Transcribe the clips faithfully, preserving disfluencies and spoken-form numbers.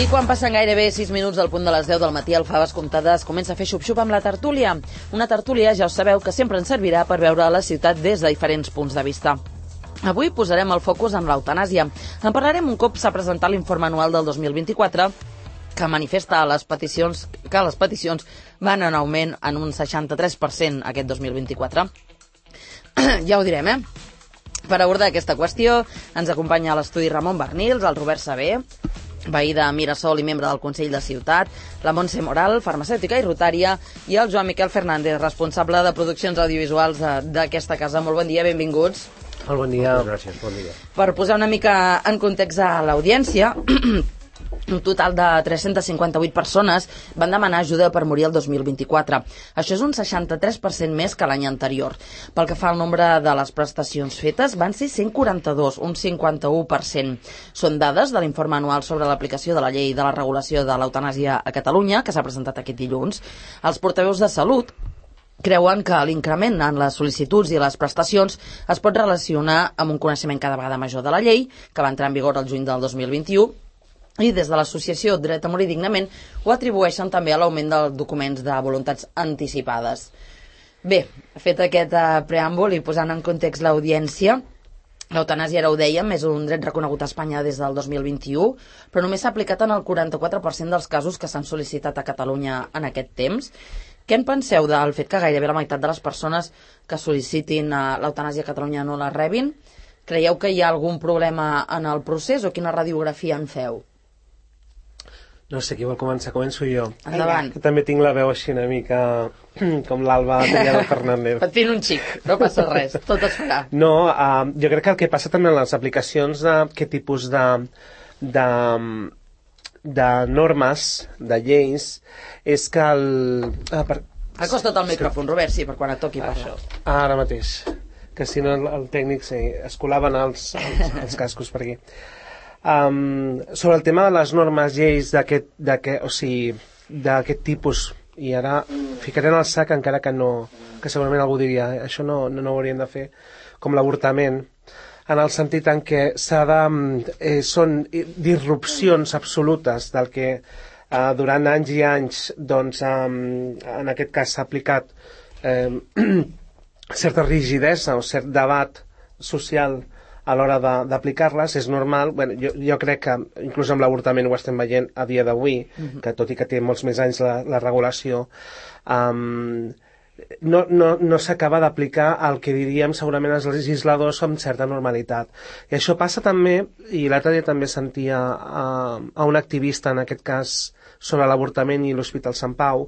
I quan passen gairebé sis minuts del punt de les deu del matí, el Faves Comptades comença a fer xup-xup amb la tertúlia. Una tertúlia, ja us sabeu, que sempre ens servirà per veure la ciutat des de diferents punts de vista. Avui posarem el focus en l'eutanàsia. En parlarem un cop s'ha presentat l'informe anual del dos mil vint-i-quatre, que manifesta les peticions, que les peticions van en augment en un seixanta-tres per cent aquest dos mil vint-i-quatre. Ja ho direm, eh? Per abordar aquesta qüestió, ens acompanya a l'estudi Ramon Barnils, el Robert Saber, veí de Mirasol i membre del Consell de Ciutat, la Montse Moral, farmacèutica i rotària, i el Joan Miquel Fernández, responsable de produccions audiovisuals d'aquesta casa. Molt bon dia, benvinguts. Molt bon dia. Moltes gràcies, bon dia. Per posar una mica en context a l'audiència, un total de tres-centes cinquanta-vuit persones van demanar ajuda per morir el dos mil vint-i-quatre. Això és un seixanta-tres per cent més que l'any anterior. Pel que fa al nombre de les prestacions fetes, van ser cent quaranta-dos, un cinquanta-u per cent. Són dades de l'informe anual sobre l'aplicació de la llei de la regulació de l'eutanàsia a Catalunya, que s'ha presentat aquest dilluns. Els portaveus de Salut creuen que l'increment en les sol·licituds i les prestacions es pot relacionar amb un coneixement cada vegada major de la llei, que va entrar en vigor el juny del dos mil vint-i-u, i des de l'associació Dret a Morir Dignament ho atribueixen també a l'augment dels documents de voluntats anticipades. Bé, fet aquest uh, preàmbul i posant en context l'audiència, l'eutanàsia, ara ho dèiem, és un dret reconegut a Espanya des del dos mil vint-i-u, però només s'ha aplicat en el quaranta-quatre per cent dels casos que s'han sol·licitat a Catalunya en aquest temps. Què en penseu del fet que gairebé la meitat de les persones que sol·licitin uh, l'eutanàsia a Catalunya no la rebin? Creieu que hi ha algun problema en el procés o quina radiografia en feu? No sé, qui vol començar? Començo jo. Endavant. Que també tinc la veu així una mica com l'Alba Tellado Fernández. Patint un xic, no passa res, tot es farà. No, uh, jo crec que el que passa també en les aplicacions d'aquest tipus de, de, de normes, de lleis, és que el... Ah, per... Acosta't al micròfon, Robert, sí, per quan et toqui parlar. Ara mateix, que si no el, el tècnic sí, es colaven els, els, els cascos per aquí. Um, sobre el tema de les normes, lleis d'aquest, d'aquest, o sigui, d'aquest tipus, i ara ficaré en el sac encara que no, que segurament algú diria això no, no, no ho hauríem de fer, com l'avortament, en el sentit en què s'ha de, eh, són disrupcions absolutes del que eh, durant anys i anys doncs, um, en aquest cas s'ha aplicat eh, certa rigidesa o cert debat social a l'hora d'aplicar-les. És normal. Bueno, jo, jo crec que inclús amb l'avortament ho estem veient a dia d'avui, uh-huh. que tot i que té molts més anys la, la regulació, um, no, no, no s'acaba d'aplicar el que diríem segurament els legisladors amb certa normalitat. I això passa també, i l'altre dia també sentia a, a un activista, en aquest cas sobre l'avortament i l'Hospital Sant Pau,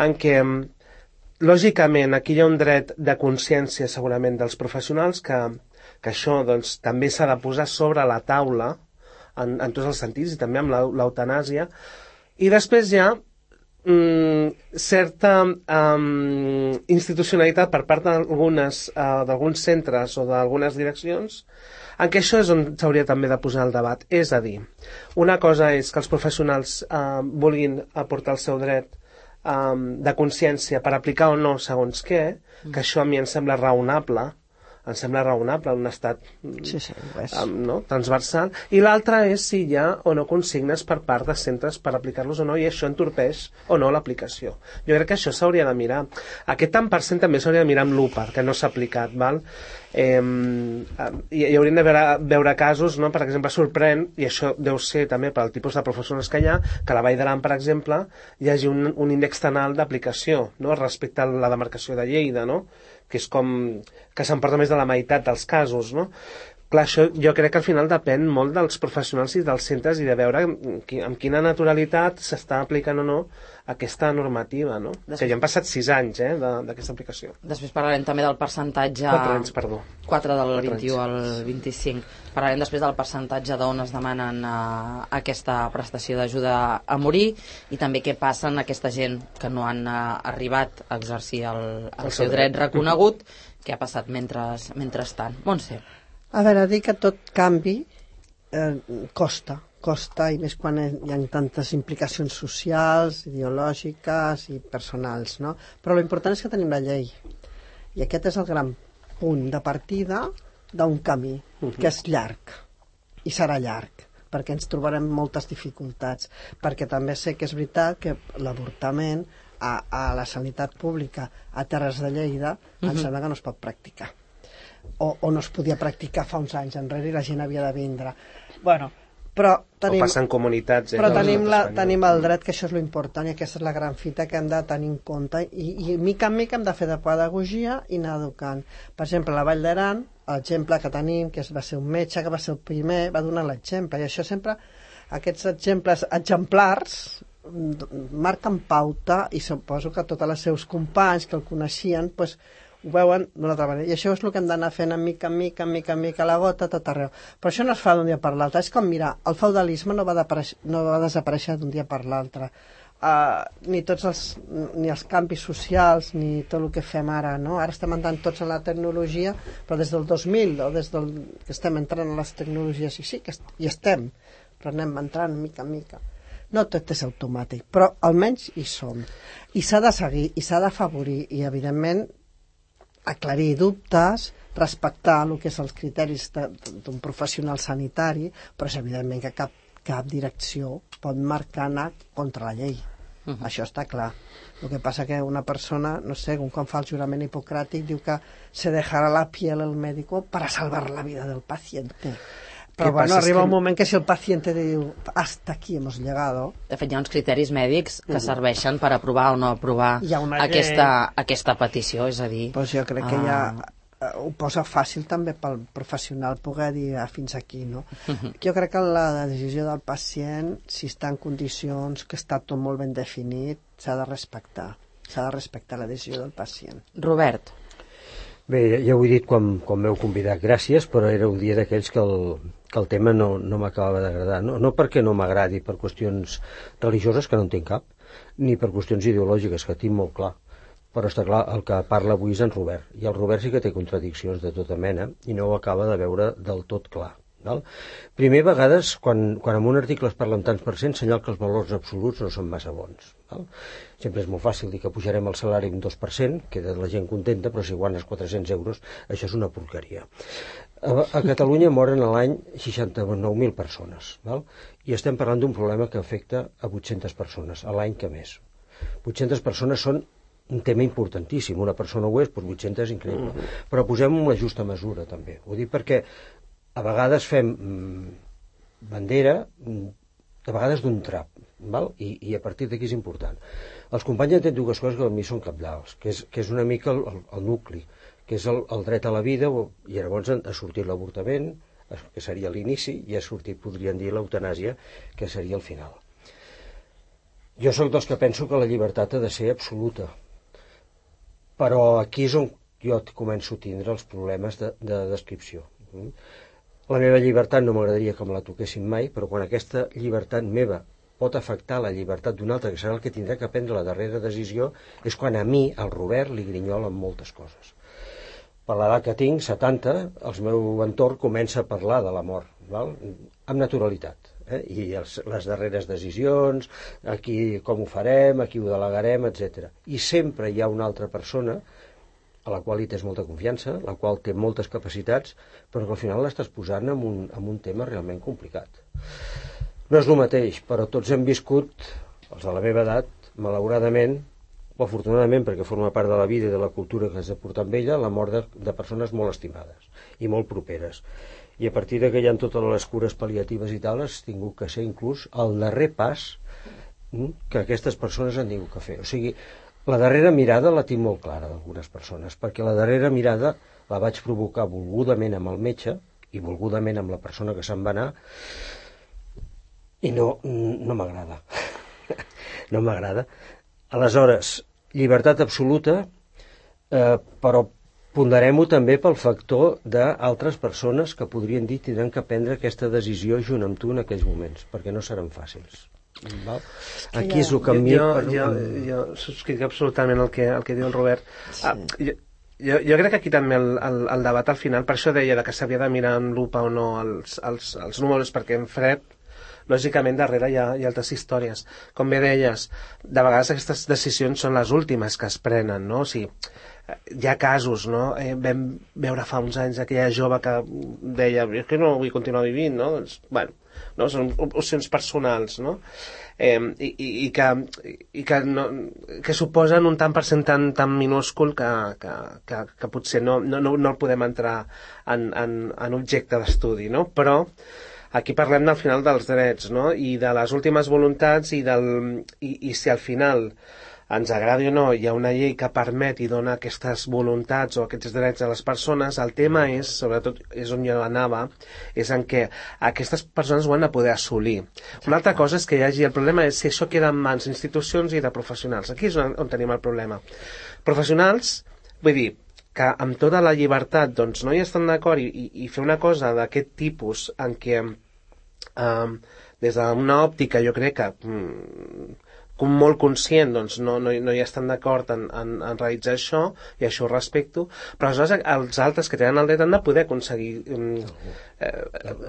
en què lògicament aquí hi ha un dret de consciència segurament dels professionals que que això doncs, també s'ha de posar sobre la taula en, en tots els sentits i també amb l'eutanàsia. I després hi ha mm, certa um, institucionalitat per part d'algunes uh, d'alguns centres o d'algunes direccions en què això és on s'hauria també de posar el debat. És a dir, una cosa és que els professionals uh, vulguin aportar el seu dret um, de consciència per aplicar o no segons què, que això a mi em sembla raonable, em sembla raonable en un estat sí, sí, um, no? transversal, i l'altre és si hi ha o no consignes per part de centres per aplicar-los o no, i això entorpeix o no l'aplicació. Jo crec que això s'hauria de mirar. Aquest tant per cent també s'hauria de mirar amb lupa, que no s'ha aplicat, val? Eh, hi, hi haurien de veure, veure casos, no? Per exemple, sorprèn, i això deu ser també per al tipus de professionals que hi ha, que a la Vall d'Aran, per exemple, hi hagi un, un índex tan alt d'aplicació, no? Respecte a la demarcació de Lleida, no? Que és com que s'emporta més de la meitat dels casos, no? Clar, això jo crec que al final depèn molt dels professionals i dels centres i de veure amb quina naturalitat s'està aplicant o no aquesta normativa, no? Després... Que ja han passat sis anys, eh, d'aquesta aplicació. Després parlarem també del percentatge... Quatre anys, perdó. Quatre del vint-i-u al vint-i-cinc. Parlarem després del percentatge d'on es demanen uh, aquesta prestació d'ajuda a morir i també què passa en aquesta gent que no han uh, arribat a exercir el, el, el seu dret reconegut, què ha passat mentre, mentrestant. Montse. A veure, dir que tot canvi eh, costa, costa, i més quan hi ha tantes implicacions socials, ideològiques i personals, no? Però l'important és que tenim la llei. I aquest és el gran punt de partida d'un camí, que és llarg, i serà llarg, perquè ens trobarem moltes dificultats, perquè també sé que és veritat que l'avortament a, a la sanitat pública a Terres de Lleida uh-huh. em sembla que no es pot practicar. O, o no es podia practicar fa uns anys enrere i la gent havia de vindre. Bueno, però tenim, o passar en comunitats. Eh, però tenim, la, tenim el dret, que això és l'important, i aquesta és la gran fita que hem de tenir en compte, i, i mica en mica hem de fer de pedagogia i anar educant. Per exemple, a la Vall d'Aran, l'exemple que tenim, que va ser un metge, que va ser el primer, va donar l'exemple, i això sempre, aquests exemples exemplars, marquen pauta, i suposo que tots els seus companys que el coneixien, doncs, ho veuen d'una altra manera. I això és el que hem d'anar fent en mica, en mica, en mica, en mica, la gota, tot arreu. Però això no es fa d'un dia per l'altre. És com, mira, el feudalisme no va, no va desaparèixer d'un dia per l'altre. Uh, ni tots els, ni els canvis socials, ni tot el que fem ara, no? Ara estem entrant tots en la tecnologia, però des del dos mil, o des del que estem entrant en les tecnologies, i sí, que est hi estem, però anem entrant mica en mica. No tot és automàtic, però almenys hi som. I s'ha de seguir, i s'ha d'afavorir, i evidentment aclarir dubtes, respectar el que és els criteris d'un professional sanitari, però és evidentment que cap, cap direcció pot marcar anar contra la llei. Uh-huh. Això està clar. El que passa que una persona, no sé, quan fa el jurament hipocràtic, diu que se dejarà la piel el médico para salvar la vida del paciente. Però bueno, arriba que... un moment que si el paciente diu hasta aquí hemos llegado... De fet, hi ha uns criteris mèdics que uh-huh. serveixen per aprovar o no aprovar aquesta, aquesta petició, és a dir... Pues jo crec que uh... ja ho posa fàcil també pel professional poder dir ah, fins aquí, no? Uh-huh. Jo crec que la decisió del pacient, si està en condicions, que està tot molt ben definit, s'ha de respectar. S'ha de respectar la decisió del pacient. Robert. Bé, ja ho he dit quan, quan m'heu convidat, gràcies, però era un dia d'aquells que el, que el tema no, no m'acabava d'agradar. No, no perquè no m'agradi per qüestions religioses, que no en tinc cap, ni per qüestions ideològiques, que tinc molt clar. Però està clar, el que parla avui és en Robert, i el Robert sí que té contradiccions de tota mena, i no ho acaba de veure del tot clar. Val? Primer, a vegades, quan, quan en un article es parla en tants per cent, senyal que els valors absoluts no són massa bons. Val? Sempre és molt fàcil dir que pujarem el salari un dos per cent, queda la gent contenta, però si guanyes quatre-cents euros, això és una porqueria. A, a Catalunya moren a l'any seixanta-nou mil persones, val? I estem parlant d'un problema que afecta a vuit-centes persones, a l'any que més. vuit-centes persones són un tema importantíssim, una persona ho és, doncs vuit-centes és increïble. Mm-hmm. Però posem-ho en la justa mesura, també. Ho dic perquè a vegades fem mm, bandera, a vegades d'un trap, val? I, i a partir d'aquí és important. Els companys entenen dues coses que a mi són cabdals, que és, que és una mica el, el, el nucli, que és el, el dret a la vida, i llavors ha sortit l'avortament, que seria l'inici, i ha sortit, podrien dir, l'eutanàsia, que seria el final. Jo sóc dels que penso que la llibertat ha de ser absoluta, però aquí és on jo començo a tindre els problemes de, de descripció. La meva llibertat no m'agradaria que me la toquessin mai, però quan aquesta llibertat meva pot afectar la llibertat d'un altre, que serà el que tindrà que prendre la darrera decisió, és quan a mi, al Robert, li grinyolen moltes coses. Per l'edat que tinc, setanta, el meu entorn comença a parlar de la mort, val? Amb naturalitat. Eh? I els, les darreres decisions, aquí com ho farem, aquí ho delegarem, etcètera. I sempre hi ha una altra persona a la qual hi tens molta confiança, la qual té moltes capacitats, però que al final l'estàs posant en un, en un tema realment complicat. No és el mateix, però tots hem viscut, els de la meva edat, malauradament, o afortunadament, perquè forma part de la vida i de la cultura que has de portar amb ella, la mort de, de persones molt estimades i molt properes. I a partir de que hi ha totes les cures pal·liatives i tal, has tingut que ser inclús el darrer pas que aquestes persones han tingut que fer. O sigui, la darrera mirada la tinc molt clara d'algunes persones, perquè la darrera mirada la vaig provocar volgudament amb el metge i volgudament amb la persona que se'n va anar, i no, no m'agrada. No m'agrada. Aleshores, llibertat absoluta, eh, però ponderem-ho també pel factor d'altres persones que podrien dir tindran que prendre aquesta decisió junt amb tu en aquells moments, perquè no seran fàcils. Val? Aquí és el camí. Jo, per... jo, jo subscric absolutament el que, el que diu el Robert. Sí. Ah, jo, jo, jo crec que aquí també el, el, el debat al final, per això deia que s'havia de mirar amb lupa o no els, els, els números, perquè en fred lògicament darrere hi ha, hi ha altres històries. Com bé deies, de vegades aquestes decisions són les últimes que es prenen, no? O sigui, hi ha casos, no? Eh, vam veure fa uns anys aquella jove que deia, és que no vull continuar vivint, no? Doncs, bueno, no? Són opcions personals, no? Eh, i, i, i que, i que, no, que suposen un tant per cent tan, tan minúscul que, que, que, que potser no, no, no el podem entrar en, en, en objecte d'estudi, no? Però aquí parlem del final dels drets, no? I de les últimes voluntats i, del, i, i si al final ens agradi o no, hi ha una llei que permet i dona aquestes voluntats o aquests drets a les persones. El tema és, sobretot és on jo anava, és en què aquestes persones ho han de poder assolir. Una altra cosa és que hi hagi, el problema és si això queda en mans d'institucions i de professionals. Aquí és on, on tenim el problema. Professionals, vull dir, que amb tota la llibertat doncs, no hi estan d'acord i, i, i fer una cosa d'aquest tipus en què eh, des d'una òptica jo crec que mm, com molt conscient, doncs no, no, no hi estan d'acord en, en, en realitzar això, i això ho respecto, però aleshores els altres que tenen el dret han de poder aconseguir eh,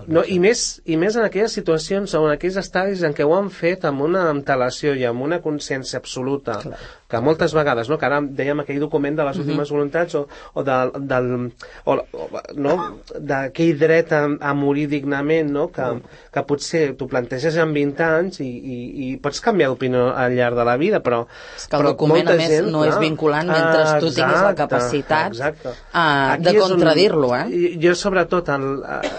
no, i, més, i més en aquelles situacions o en aquells estadis en què ho han fet amb una antelació i amb una consciència absoluta. Clar. Que moltes vegades, no? Que ara dèiem aquell document de les últimes mm-hmm. voluntats o, o, de, del, o, o no? D'aquell dret a, a morir dignament, no? Que, que potser t'ho planteges en vint anys i, i, i pots canviar d'opinió al llarg de la vida, però... És que el document, a més, gent, no clar, és vinculant mentre ah, tu tinguis la capacitat uh, de contradir-lo, eh? Jo, sobretot, el, uh,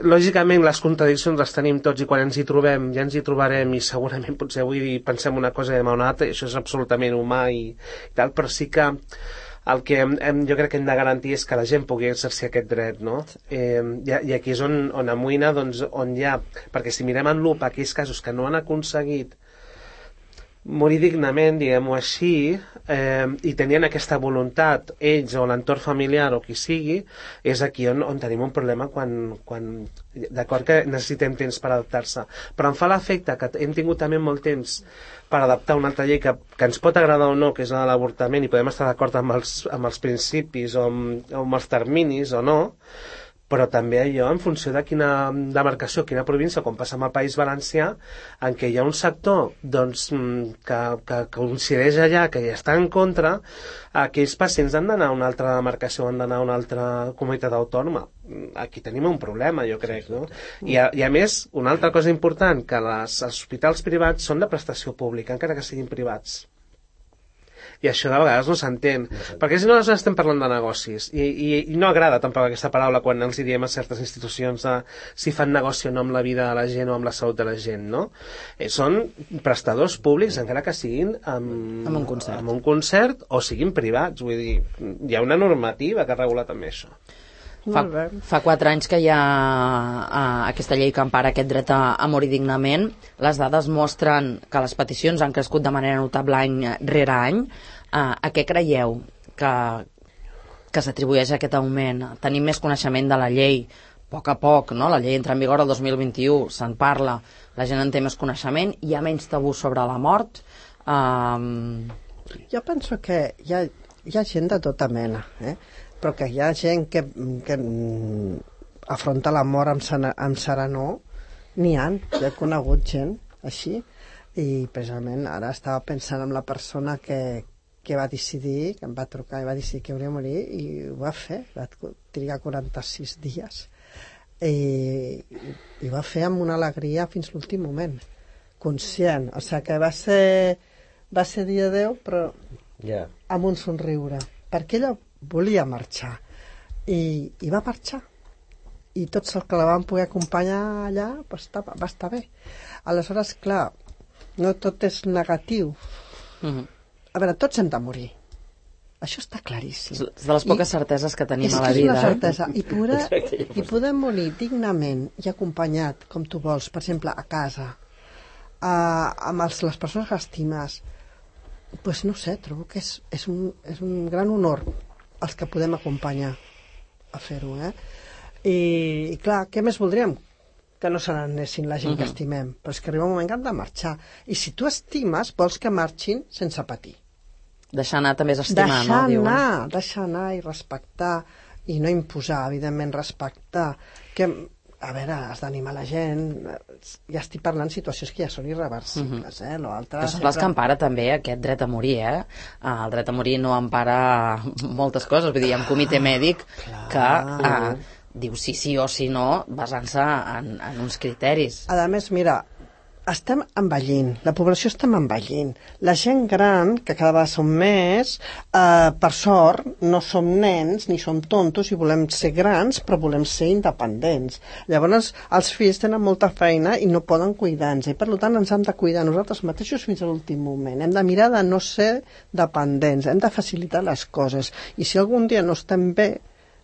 lògicament les contradiccions les tenim tots i quan ens hi trobem ja ens hi trobarem i segurament potser avui pensem una cosa i demà una altra i això és absolutament humà i, i tal, però sí que el que hem, hem, jo crec que hem de garantir és que la gent pugui exercir aquest dret, no? Eh, i, i aquí és on, on amoïna, doncs, on hi ha, perquè si mirem en lupa aquells casos que no han aconseguit morir dignament, diguem-ho així, eh, i tenien aquesta voluntat, ells o l'entorn familiar o qui sigui, és aquí on, on tenim un problema quan, quan d'acord que necessitem temps per adaptar-se, però em fa l'efecte que hem tingut també molt temps per adaptar una altra llei que, que ens pot agradar o no, que és la de l'avortament, i podem estar d'acord amb, els, amb els principis o amb, o amb els terminis o no, però també allò en funció de quina demarcació, quina província, com passa amb el País Valencià, en què hi ha un sector doncs, que, que, que coincideix allà, que hi està en contra, aquells pacients han d'anar a una altra demarcació, han d'anar a una altra comunitat autònoma. Aquí tenim un problema, jo crec, no? I a, i a més, una altra cosa important, que les, els hospitals privats són de prestació pública, encara que siguin privats. I això de vegades no s'entén, perquè si no estem parlant de negocis, i, i, i no agrada tampoc aquesta paraula quan els diem a certes institucions de si fan negoci o no amb la vida de la gent o amb la salut de la gent, no? Eh, són prestadors públics, encara que siguin amb, amb, un concert. amb un concert o siguin privats, vull dir, hi ha una normativa que regula també això. Fa, fa quatre anys que hi ha uh, aquesta llei que empara aquest dret a, a morir dignament. Les dades mostren que les peticions han crescut de manera notable any rere any. Uh, a què creieu que, que s'atribueix aquest augment? Tenim més coneixement de la llei, a poc a poc, no? La llei entra en vigor el dos mil vint-i-u, se'n parla, la gent en té més coneixement, hi ha menys tabú sobre la mort. Um... Jo penso que hi ha, hi ha gent de tota mena, eh? Però que hi ha gent que, que afronta la mort amb, sana, amb serenor, n'hi ha, jo he conegut gent així, i precisament ara estava pensant en la persona que, que va decidir, que em va trucar i va decidir que hauria de morir, i ho va fer, va trigar quaranta-sis dies, i, i va fer amb una alegria fins l'últim moment, conscient, o sigui que va ser, va ser dir adéu, però yeah. amb un somriure, perquè ella volia marxar i, i va marxar i tots els que la van poder acompanyar allà va estar, va estar bé. Aleshores, clar, no tot és negatiu. Mm-hmm. A veure, tots hem de morir, això està claríssim, és de les poques I, certeses que tenim a la vida, és una certesa, eh? I, poder, i poder morir dignament i acompanyat com tu vols, per exemple a casa, a, amb els, les persones que estimes, pues no sé, trobo que és, és, un, és un gran honor els que podem acompanyar a fer-ho, eh? I, i clar, què més voldríem? Que no se n'anessin la gent uh-huh. que estimem, però és que arriba un moment que han de marxar, i si tu estimes vols que marxin sense patir, deixar anar també és estimar, deixar no? Diuen. Anar, deixar anar i respectar, i no imposar, evidentment respectar, que a veure, has d'animar la gent. Ja estic parlant situacions que ja són irreversibles, eh? L'altre que són sempre... les que empara també aquest dret a morir, eh? El dret a morir no empara moltes coses, vull dir, hi ha un comitè mèdic que eh, diu sí, sí o sí no, basant-se en, en uns criteris. A més, mira, estem envellint, la població estem envellint. La gent gran, que cada vegada som més, eh, per sort, no som nens ni som tontos i volem ser grans, però volem ser independents. Llavors, els fills tenen molta feina i no poden cuidar-nos, i per tant ens hem de cuidar nosaltres mateixos fins a l'últim moment. Hem de mirar de no ser dependents, hem de facilitar les coses. I si algun dia no estem bé,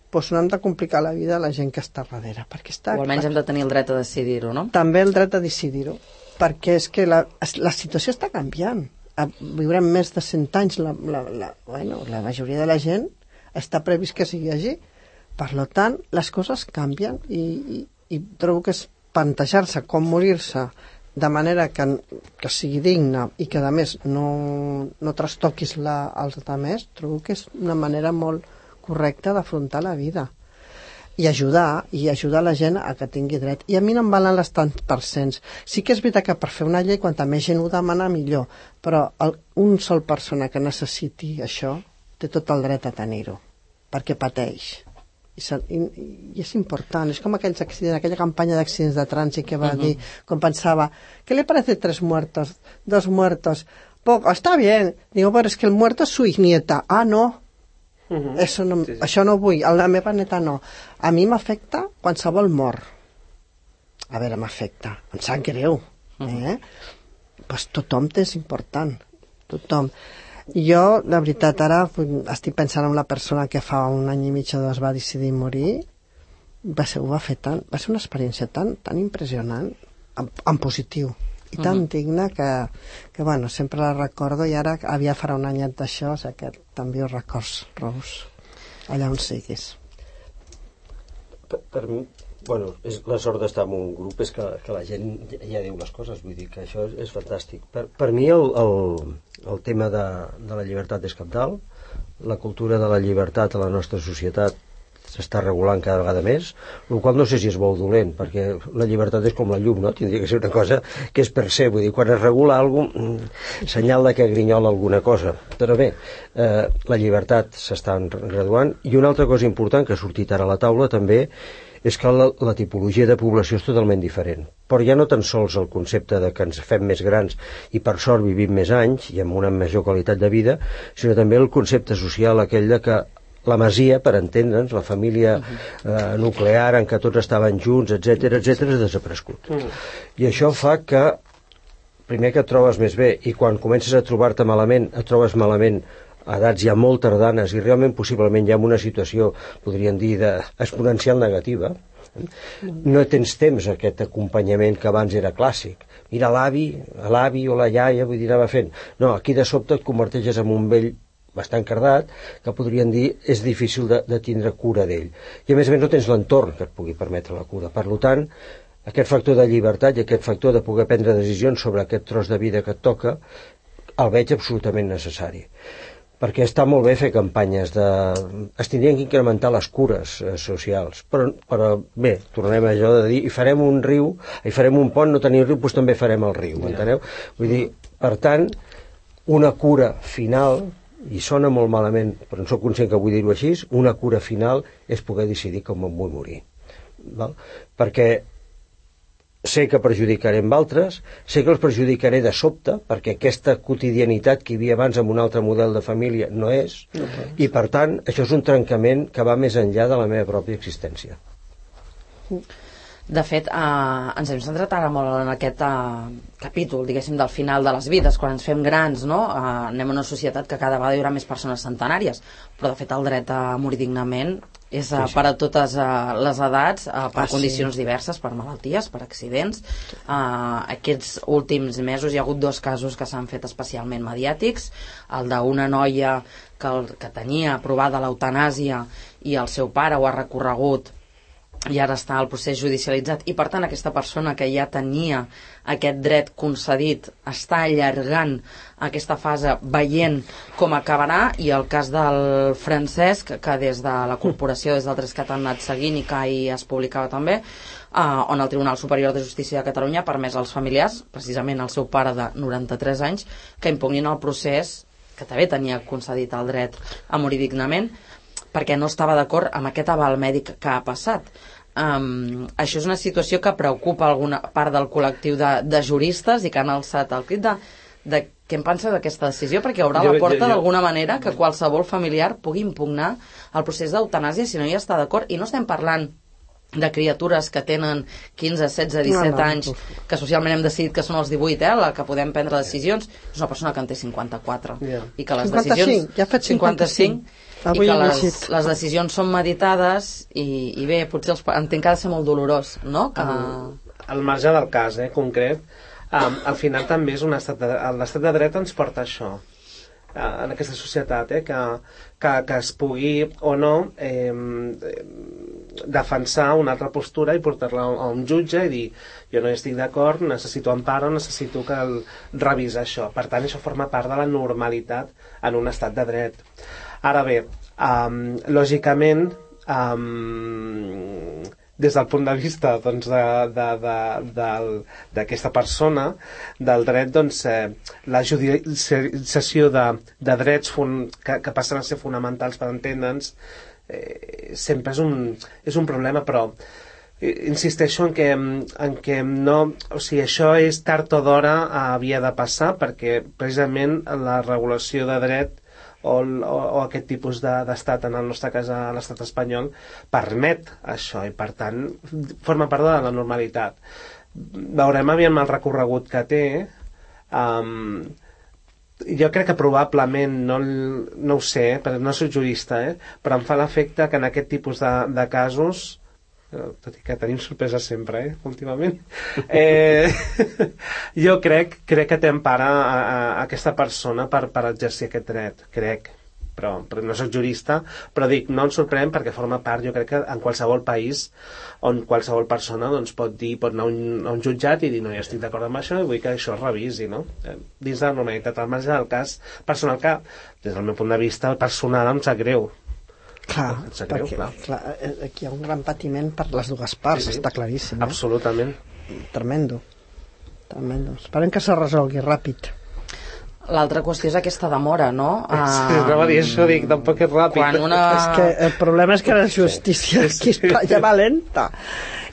doncs no hem de complicar la vida a la gent que està darrere. Perquè està, o almenys hem de tenir el dret a decidir-ho, no? També el dret a decidir-ho, perquè és que la, la situació està canviant. Viurem més de cent anys, la, la, la, bueno, la majoria de la gent està previst que sigui així. Per tant, les coses canvien i, i, i trobo que és plantejar-se com morir-se de manera que, que sigui digna i que, a més, no, no trastoquis la, els altres, trobo que és una manera molt correcta d'afrontar la vida. I ajudar, i ajudar la gent a que tingui dret. I a mi no em valen les tants percents. Sí que és veritat que per fer una llei, quanta més gent ho demana, millor. Però el, un sol persona que necessiti això té tot el dret a tenir-ho, perquè pateix. I, i, I és important. És com aquells accidents, aquella campanya d'accidents de trànsit que va uh -huh. dir, com pensava, ¿qué le parece tres muertos? Dos muertos. Poco, está bien. Digo, pero es que el muerto es su nieta. Ah, no. Uh-huh. Eso no, sí, sí. Això no vull, a la meva neta no. A mi m'afecta qualsevol mort. A veure, m'afecta, em sap greu. Eh? Uh-huh. Pues tothom és important, tothom. Jo, la veritat, ara estic pensant en la persona que fa un any i mig o dos va decidir morir. Va ser, ho va fer tant, va ser una experiència tan, tan impressionant, en, en positiu, i tan uh-huh. digna que, que, bueno, sempre la recordo, i ara havia farà un anyet d'això, o sigui que també ho records, Rous, allà on siguis. Per, per mi, bueno, és, la sort d'estar en un grup és que, que la gent ja, ja diu les coses, vull dir que això és, és fantàstic. Per, per mi el, el, el tema de, de la llibertat és cabdal, la cultura de la llibertat a la nostra societat s'està regulant cada vegada més, el qual no sé si és bo o dolent, perquè la llibertat és com la llum, no? Tindria que ser una cosa que és per ser, vull dir, quan es regula alguna cosa, senyal de que grinyola alguna cosa. Però bé, eh, la llibertat s'està graduant, i una altra cosa important que ha sortit ara a la taula també és que la, la tipologia de població és totalment diferent. Però ja no tan sols el concepte de que ens fem més grans i per sort vivim més anys i amb una major qualitat de vida, sinó també el concepte social aquell de que la masia, per entendre'ns, la família eh, nuclear en què tots estaven junts, etcètera, etcètera, és desaparegut. Mm. I això fa que, primer que et trobes més bé, i quan comences a trobar-te malament, et trobes malament a edats ja molt tardanes, i realment possiblement ja en una situació, podríem dir, d'exponencial negativa, no tens temps aquest acompanyament que abans era clàssic. Mira l'avi, l'avi o la iaia, vull dir, anava fent. No, aquí de sobte et converteixes en un vell bastant cardat, que podrien dir és difícil de, de tindre cura d'ell. I a més a més no tens l'entorn que et pugui permetre la cura. Per tant, aquest factor de llibertat i aquest factor de poder prendre decisions sobre aquest tros de vida que et toca, el veig absolutament necessari. Perquè està molt bé fer campanyes de... Es tindrien que incrementar les cures eh, socials, però, però bé, tornem a allò de dir, i farem un riu, i farem un pont, no tenim riu, doncs també farem el riu, enteneu? Vull dir, per tant, una cura final, i sona molt malament, però no soc conscient que vull dir-ho així, una cura final és poder decidir com em vull morir. Val? Perquè sé que perjudicaré amb altres, sé que els perjudicaré de sobte, perquè aquesta quotidianitat que hi havia abans amb un altre model de família no és, no i per tant això és un trencament que va més enllà de la meva pròpia existència. De fet, eh, ens hem centrat ara molt en aquest eh, capítol, diguéssim, del final de les vides, quan ens fem grans, no? Eh, anem a una societat que cada vegada hi haurà més persones centenàries, però de fet el dret a morir dignament és uh, per a totes uh, les edats, uh, per ah, condicions sí. diverses, per malalties, per accidents. Uh, aquests últims mesos hi ha hagut dos casos que s'han fet especialment mediàtics, el d'una noia que, el, que tenia aprovada l'eutanàsia i el seu pare ho ha recorregut i ara està el procés judicialitzat, i per tant aquesta persona que ja tenia aquest dret concedit està allargant aquesta fase veient com acabarà. I el cas del Francesc, que des de la corporació, des del Trescat han anat seguint i que ahir es publicava també, eh, on el Tribunal Superior de Justícia de Catalunya ha permès als familiars, precisament al seu pare de noranta-tres anys, que impugnin el procés, que també tenia concedit el dret a morir dignament, perquè no estava d'acord amb aquest aval mèdic que ha passat. Um, això és una situació que preocupa alguna part del col·lectiu de, de juristes, i que han alçat el crit de, de què en pensa d'aquesta decisió, perquè obre la porta d'alguna manera que qualsevol familiar pugui impugnar el procés d'eutanàsia si no hi està d'acord. I no estem parlant de criatures que tenen quinze, setze, disset no, no, anys, que socialment hem decidit que són els divuit, eh, la que podem prendre decisions. És una persona que en té cinquanta-quatre, yeah. I que les cinquanta-cinc, decisions... ja ha fet cinquanta-cinc. I que les, les decisions són meditades, i, i bé, potser els, entenc que ha de ser molt dolorós, no? Que... Al marge del cas, eh, concret, um, al final també és un estat de, l'estat de dret ens porta això, uh, en aquesta societat, eh, que, que, que es pugui o no eh, defensar una altra postura i portar-la a un jutge i dir, jo no hi estic d'acord, necessito empara, necessito que el revisa això. Per tant, això forma part de la normalitat en un estat de dret. Ara bé, um, lògicament, um, des del punt de vista doncs, d'aquesta persona, del dret, doncs, eh, la judicialització de, de drets que, que passen a ser fonamentals per entendre'ns, eh, sempre és un, és un problema, però insisteixo en que, en que no, o sigui, això és tard o d'hora havia de passar, perquè precisament la regulació de dret o, o, o aquest tipus d'estat, en el nostre cas a l'estat espanyol, permet això, i per tant forma part de la normalitat. Veurem aviam el recorregut que té. um, jo crec que probablement no, no ho sé, perquè no soc jurista, eh, però em fa l'efecte que en aquest tipus de, de casos, tot i que tenim sorpreses sempre, eh, últimament, eh, jo crec, crec que té empara a, a, a aquesta persona per, per exercir aquest dret, crec, però, però no soc jurista, però dic, no ens sorprèn perquè forma part, jo crec que en qualsevol país on qualsevol persona doncs, pot dir, pot anar a un, a un jutjat i dir, no, jo estic d'acord amb això i vull que això es revisi, no? Dins de la normalitat, al marge del cas personal, que des del meu punt de vista personal em sap greu. Clar, greu, perquè clar. Clar, aquí hi ha un gran patiment per les dues parts, sí, sí. Està claríssim. Eh? Absolutament. Tremendo. Tremendo. Esperem que se resolgui ràpid. L'altra qüestió és aquesta demora, no? Sí, uh, no dir això, dic, tampoc és ràpid. Quan una... És que el problema és que la justícia aquí sí. Espanya va lenta.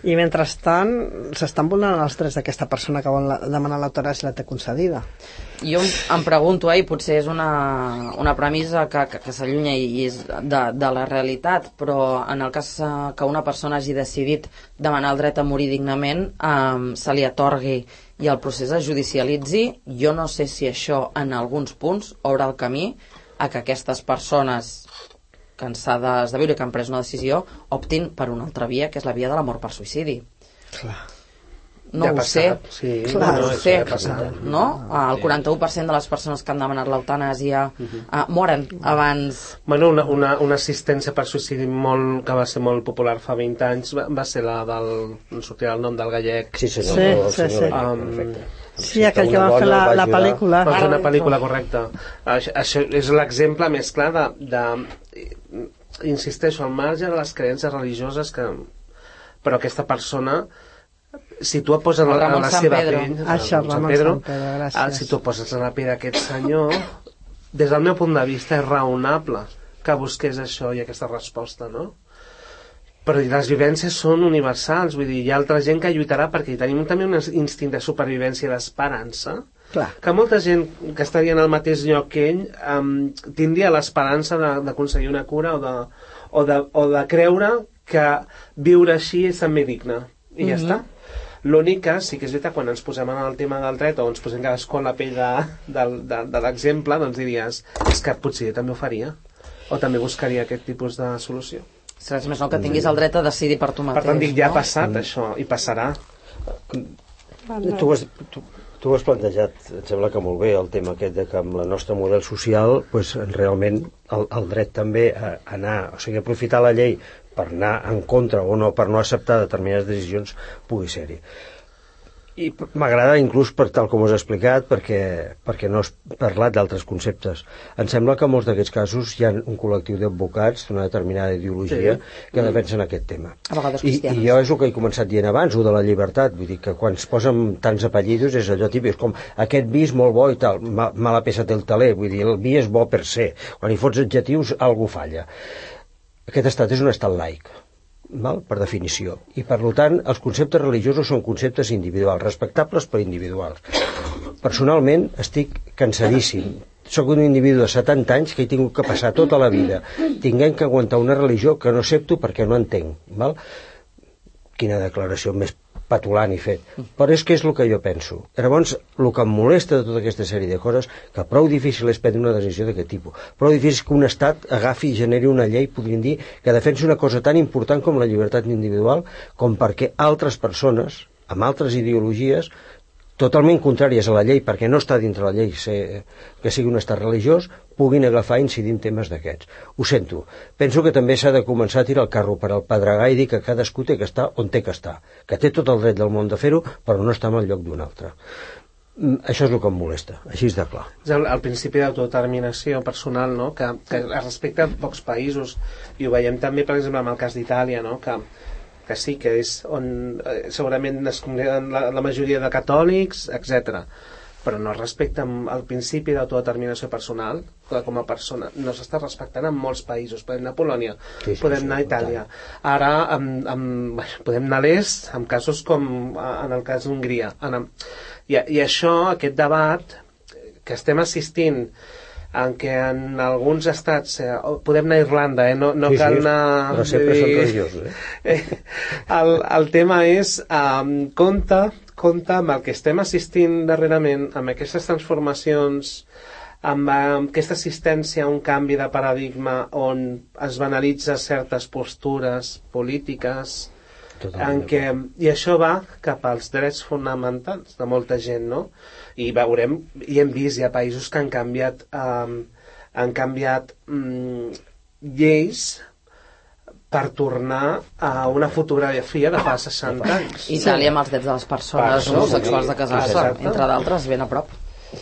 I mentrestant s'estan vulnerant els drets d'aquesta persona que vol demanar l'eutanàsia i la té concedida. Jo em pregunto, eh, i potser és una, una premissa que, que, que s'allunya i és de, de la realitat, però en el cas que una persona hagi decidit demanar el dret a morir dignament, eh, se li atorgui i el procés es judicialitzi, jo no sé si això en alguns punts obre el camí a que aquestes persones cansades de viure i que han pres una decisió optin per una altra via, que és la via de la mort per suïcidi. Clar. No ja ho passat. sé, sí, clar, no, ho sé, passat. no? El quaranta-u per cent de les persones que han demanat l'eutanàsia uh-huh. uh, moren abans. Bueno, una, una, una assistència per suïcidi molt, que va ser molt popular fa vint anys va, va ser la del... no sortirà el nom del gallec. Sí, senyor. Sí, el sí, senyor sí. Gallec, um, sí, aquell que va fer la, la pel·lícula. Va fer una pel·lícula, correcta. Això, això és l'exemple més clar de, de... insisteixo, al marge de les creences religioses que... però aquesta persona, si tu et poses en la, en la seva Pedro. pell, Això, Ramon Sant Pedro, Pedro, gràcies. si tu et poses en la pell d'aquest senyor, des del meu punt de vista és raonable que busqués això i aquesta resposta, no? Però les vivències són universals, vull dir, hi ha altra gent que lluitarà perquè tenim també un instint de supervivència i d'esperança. Clar. Que molta gent que estaria en el mateix lloc que ell um, tindria l'esperança d'aconseguir una cura o de, o, de, o de creure que viure així és també digne. I mm-hmm. ja està. L'únic que sí que és veritat, quan ens posem en el tema del dret o ens posem cadascú en la pell de, de, de, de l'exemple, doncs diries, és que potser també ho faria o també buscaria aquest tipus de solució. Seràs més no que tinguis el dret a decidir per tu mateix. Per tant, dic, ja ha no? passat mm. això, i passarà. Tu has, tu, tu has plantejat, em sembla que molt bé, el tema aquest de que amb el nostre model social, pues, realment el, el dret també a anar, o sigui, aprofitar la llei per anar en contra o no, per no acceptar determinades decisions, pugui ser-hi. I m'agrada inclús, per tal com us he explicat, perquè, perquè no has parlat d'altres conceptes. Em sembla que en molts d'aquests casos hi ha un col·lectiu d'advocats d'una determinada ideologia sí. que defensen aquest tema. A vegades I, cristians. I jo és el que he començat dient abans, el de la llibertat. Vull dir que quan es posen tants apellidos és allò típic, com aquest vi és molt bo i tal, ma, mala peça té el taler. Vull dir, el vi és bo per ser. Quan hi fots adjectius, algú falla. Aquest estat és un estat laic, val? Per definició, i per tant els conceptes religiosos són conceptes individuals, respectables però individuals. Personalment estic cansadíssim, soc un individu de setanta anys que he tingut que passar tota la vida tinguent que aguantar una religió que no accepto perquè no entenc, val? Quina declaració més patulant i fet, però és que és el que jo penso. Llavors, el que em molesta de tota aquesta sèrie de coses, que prou difícil és prendre una decisió d'aquest tipus, prou difícil que un estat agafi i generi una llei, podríem dir, que defensi una cosa tan important com la llibertat individual, com perquè altres persones, amb altres ideologies, totalment contràries a la llei, perquè no està dintre la llei ser, que sigui un estat religiós, puguin agafar i incidir en temes d'aquests. Ho sento. Penso que també s'ha de començar a tirar el carro per al pedregar i dir que cadascú té que estar on té que estar, que té tot el dret del món de fer-ho, però no està en el lloc d'un altre. Això és el que em molesta, així és de clar. És el, el principi d'autodeterminació personal, no? que, que es respecta a pocs països, i ho veiem també, per exemple, amb el cas d'Itàlia, no? que que sí, que és on eh, segurament es congregen la, la majoria de catòlics, etcètera. Però no es respecta el principi d'autodeterminació personal, que com a persona no s'està respectant en molts països. Podem anar a Polònia, sí, sí, podem anar a Itàlia. Ara amb, amb, podem anar a l'est, en casos com en el cas d'Hongria. I, I això, aquest debat que estem assistint, en què en alguns estats eh, podem anar a Irlanda, eh? no, no sí, cal anar... Sí, però sempre són religiosos. Eh? el, el tema és um, compte, compte amb el que estem assistint darrerament, amb aquestes transformacions, amb, amb aquesta assistència a un canvi de paradigma on es banalitza certes postures polítiques, en què, i això va cap als drets fonamentals de molta gent, no? I veurem, i hem vist, hi ha països que han canviat um, han canviat um, lleis per tornar a una fotografia de fa seixanta anys. Itàlia amb els drets de les persones homosexuals de casar-se, entre d'altres, ben a prop.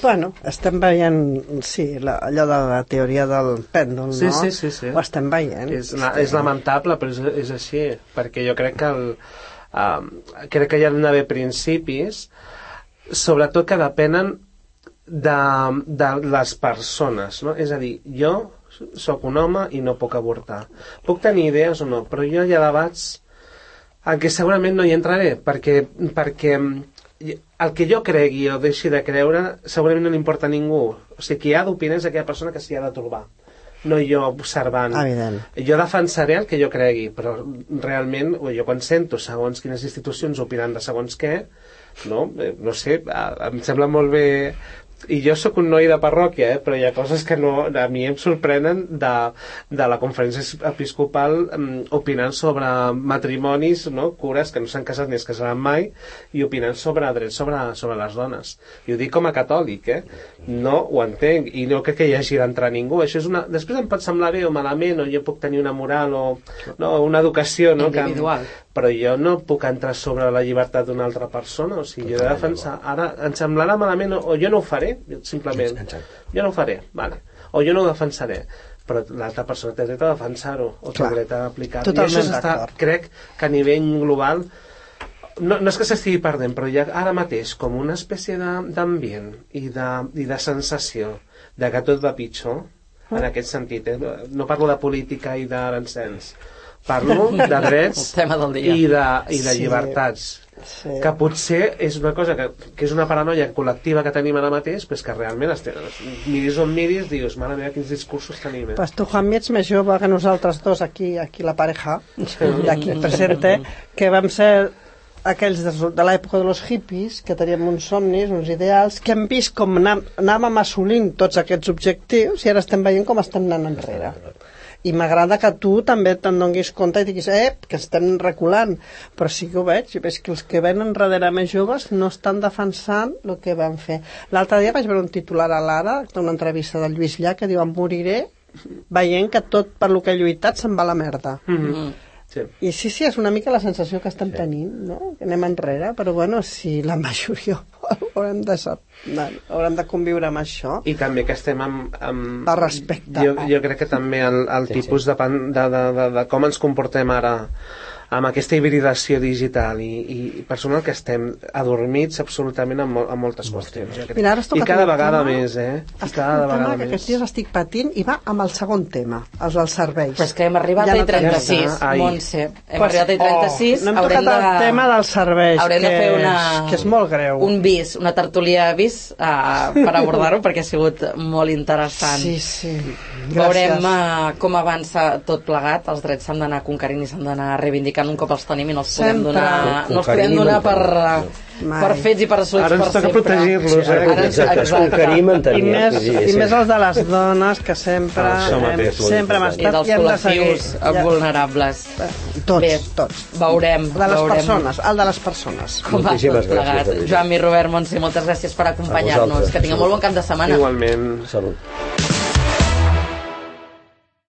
Bueno, estem veient, sí, la, allò de la teoria del pèndol, sí, no? Sí, sí, sí. Ho estem veient. És, és lamentable, però és, és així, perquè jo crec que el, um, crec que hi ha d'haver principis, sobretot que depenen de, de les persones, no? És a dir, jo sóc un home i no puc avortar. Puc tenir idees o no, però jo hi ha debats en què segurament no hi entraré, perquè, perquè el que jo cregui o deixi de creure segurament no li importa a ningú. O sigui, qui ha d'opinar és aquella persona que s'hi ha de trobar, no jo observant. Evident. Jo defensaré el que jo cregui, però realment jo quan sento segons quines institucions opinant de segons què, no, no sé, em sembla molt bé. I jo sóc un noi de parròquia, eh, però hi ha coses que no, a mi em sorprenen de, de la conferència episcopal um, opinant sobre matrimonis, no, cures que no s'han casat ni es casaran mai, i opinant sobre drets sobre, sobre les dones. I ho dic com a catòlic, eh? No ho entenc, i no crec que hi hagi d'entrar ningú. Això és una... Després em pot semblar bé o malament, o jo puc tenir una moral o no, una educació, no, individual. Que, però jo no puc entrar sobre la llibertat d'una altra persona. O sigui, jo he de defensar... Ara em semblarà malament, o jo no ho faré, simplement. Jo no ho faré, vale. O jo no ho defensaré, però l'altra persona té dret a defensar-ho, o té dret a aplicar-ho. I això està, crec que a nivell global no, no és que s'estigui perdent, però hi ha ara mateix com una espècie d'ambient i, de, i de sensació de que tot va pitjor, en aquest sentit, eh? No parlo de política i d'arancens, parlo de drets i de, i de llibertats. Sí. Que potser és una cosa que, que és una paranoia col·lectiva que tenim ara mateix, però és que realment estem, miris on miris, dius, mare meva, quins discursos tenim. Eh? Pues tu, Juanmi, ets més jove que nosaltres dos aquí, aquí la pareja d'aquí presente, que vam ser aquells de, de l'època de los hippies, que teníem uns somnis, uns ideals, que hem vist com anàvem assolint tots aquests objectius i ara estem veient com estem anant enrere. I m'agrada que tu també te'n donis compte i diguis, eh, que estem reculant, però sí que ho veig, i veig que els que venen darrere més joves no estan defensant el que van fer. L'altre dia vaig veure un titular a l'Ara, d'una entrevista del Lluís Llach, que diu, em moriré veient que tot per lo que he lluitat se'n va a la merda. Mm-hmm. Sí. I sí, sí, és una mica la sensació que estem sí. tenint, no? Que anem enrere, però bueno, si la majoria haurem de, haurem de conviure amb això. I també que estem amb... amb... De respecte. Jo, jo crec que també el, el sí, tipus sí. De, de, de, de, de com ens comportem ara amb aquesta hibridació digital i, i personal que estem adormits absolutament en, mol, en moltes qüestions. Mira, I cada vegada tema, més, eh? I cada un vegada tema que aquests dies estic patint i va amb el segon tema, els dels serveis. Però és que hem arribat ja a I trenta-sis, ja Montse. Hem pues, arribat a I trenta-sis. Oh, no hem tocat de... el tema dels serveis, haurem que, de fer una... és, que és molt greu. Un bis, una tertúlia bis uh, per abordar-ho, perquè ha sigut molt interessant. Sí, sí. Gràcies. Veurem uh, com avança tot plegat. Els drets s'han d'anar conquerint i s'han d'anar reivindicant un cop els tenim i no els podem Sempre. donar, no els podem donar per, per fets i per assolits ara per sempre. Ara ens toca protegir-los. Eh? Ara ens conquerim en I més, i més els de les dones que sempre ah, hem, sempre hem estat i dels col·lectius ja. vulnerables. Tots, Bé, tots. Veurem. De les veurem. persones, el de les persones. Com va tot plegat. Joan i Robert Montse, moltes gràcies per acompanyar-nos. Que tingueu molt bon cap de setmana. Igualment. Salut.